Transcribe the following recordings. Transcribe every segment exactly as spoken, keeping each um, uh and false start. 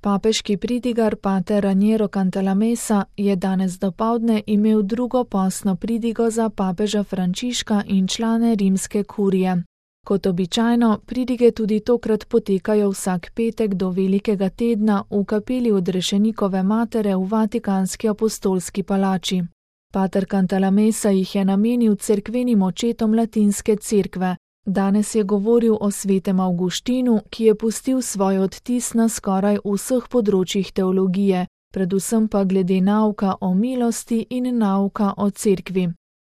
Papeški pridigar pater Raniero Cantalamessa je danes dopoldne imel drugo postno pridigo za papeža Frančiška in člane rimske kurije. Kot običajno, pridige tudi tokrat potekajo vsak petek do velikega tedna v kapeli Odrešenikove matere v Vatikanski apostolski palači. Pater Cantalamessa jih je namenil cerkvenim očetom latinske cerkve. Danes je govoril o svetem Avguštinu, ki je pustil svoj odtis na skoraj vseh področjih teologije, predvsem pa glede nauka o milosti in nauka o cerkvi.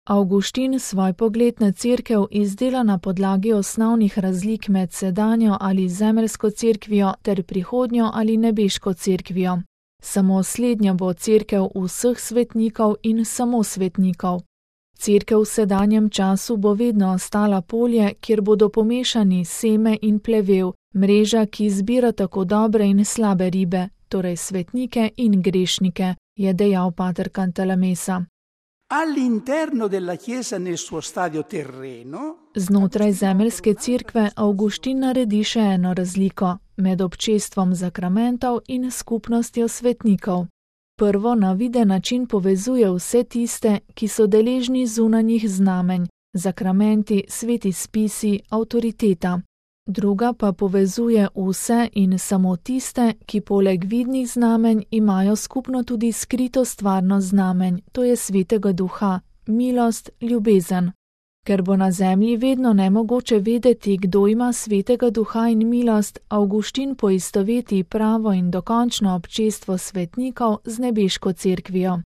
Avguštin svoj pogled na cerkev izdela na podlagi osnovnih razlik med sedanjo ali zemeljsko cerkvijo ter prihodnjo ali nebeško cerkvijo. Samo slednja bo cerkev vseh svetnikov in samo svetnikov. Cerkev v sedanjem času bo vedno ostala polje, kjer bodo pomešani seme in plevel, mreža, ki zbira tako dobre in slabe ribe, torej svetnike in grešnike, je dejal pater Cantalamessa. All'interno della Chiesa nel suo stadio terreno, Znotraj zemeljske cerkve Avguštin naredi še eno razliko med občestvom zakramentov in skupnostjo svetnikov. Prvo na viden način povezuje vse tiste, ki so deležni zunanjih znamenj, zakramenti, sveti spisi, avtoriteta. Druga pa povezuje vse in samo tiste, ki poleg vidnih znamenj imajo skupno tudi skrito stvarno znamenj, to je svetega duha, milost, ljubezen. Ker bo na zemlji vedno nemogoče vedeti, kdo ima svetega duha in milost, Avguštin poistoveti pravo in dokončno občestvo svetnikov z nebeško cerkvijo.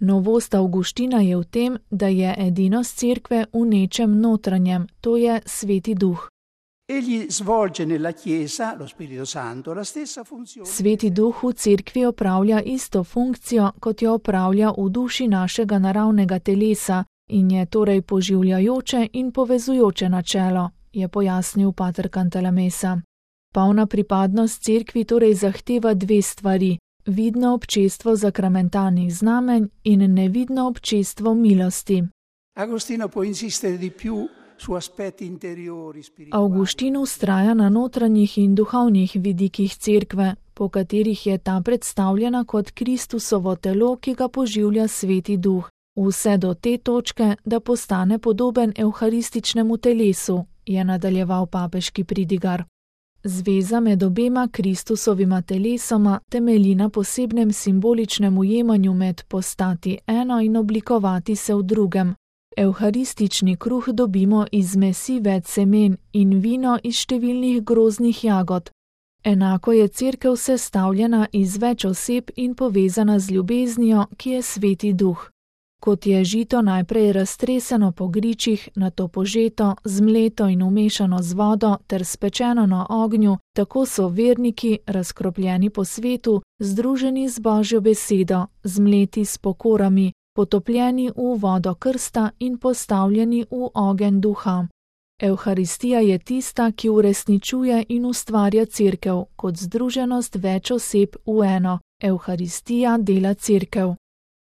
Novost Avguština je v tem, da je edinost cerkve v nečem notranjem, to je sveti duh. egli svolge nella Chiesa, lo Spirito Santo, la stessa funzione. Sveti duh v cerkvi opravlja isto funkcijo, kot jo opravlja v duši našega naravnega telesa, in je torej poživljajoče in povezujoče načelo, je pojasnil pater Cantalamessa. Polna pripadnost cerkvi torej zahteva dve stvari, vidno občestvo zakramentalnih znamenj in nevidno občestvo milosti. Agostino può insistere di più su aspetti interiori spirituali. Avguštin vztraja na notranjih in duhovnih vidikih cerkve, po katerih je ta predstavljena kot Kristusovo telo, ki ga poživlja sveti duh. Vse do te točke, da postane podoben evharističnemu telesu, je nadaljeval papeški pridigar. Zveza med obema Kristusovima telesoma temelji na posebnem simboličnem ujemanju med postati eno in oblikovati se v drugem. Evharistični kruh dobimo iz mesi več semen in vino iz številnih groznih jagod. Enako je cerkev sestavljena iz več oseb in povezana z ljubeznijo, ki je sveti duh. Kot je žito najprej raztreseno po gričih, nato požeto, zmleto in umešano z vodo ter spečeno na ognju, tako so verniki, razkropljeni po svetu, združeni z Božjo besedo, zmleti s pokorami, potopljeni v vodo krsta in postavljeni v ogenj duha. Evharistija je tista, ki uresničuje in ustvarja cerkev kot združenost več oseb v eno. Evharistija dela cerkev.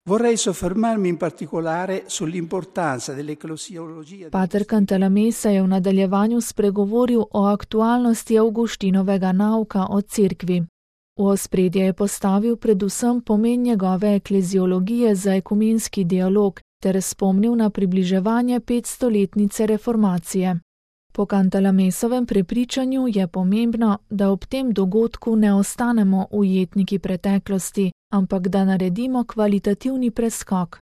Vorrei soffermarmi in particolare sull'importanza dell'eclesiologia. Pater Cantalamessa je v nadaljevanju spregovoril o aktualnosti Avguštinovega nauka o cerkvi. V ospredje je postavil predvsem pomen njegove ekleziologije za ekumenski dialog ter spomnil na približevanje petstoletnice reformacije. Po Cantalamessovem prepričanju je pomembno, da ob tem dogodku ne ostanemo ujetniki preteklosti, ampak da naredimo kvalitativni preskok.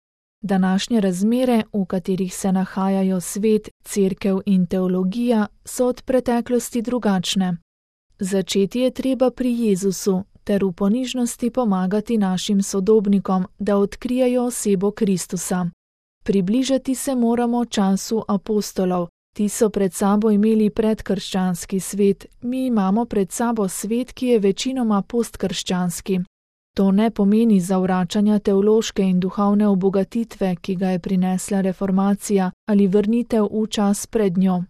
Današnje razmere, v katerih se nahajajo svet, cerkev in teologija, so od preteklosti drugačne. Začeti je treba pri Jezusu ter v ponižnosti pomagati našim sodobnikom, da odkrijejo osebo Kristusa. Približati se moramo času apostolov. Ti so pred sabo imeli predkrščanski svet, mi imamo pred sabo svet, ki je večinoma postkrščanski. To ne pomeni zavračanja teološke in duhovne obogatitve, ki ga je prinesla reformacija, ali vrnitev v čas pred njo.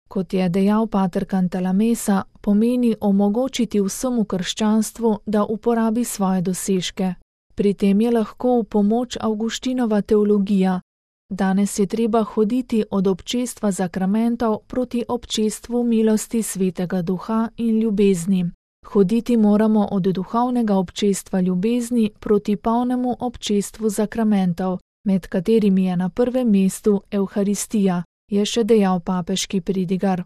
Kot je dejal pater Cantalamessa, pomeni omogočiti vsemu krščanstvu, da uporabi svoje dosežke. Pri tem je lahko v pomoč Avguštinova teologija. Danes je treba hoditi od občestva zakramentov proti občestvu milosti svetega duha in ljubezni. Hoditi moramo od duhovnega občestva ljubezni proti polnemu občestvu zakramentov, med katerimi je na prvem mestu Evharistija, je še dejal papeški pridigar.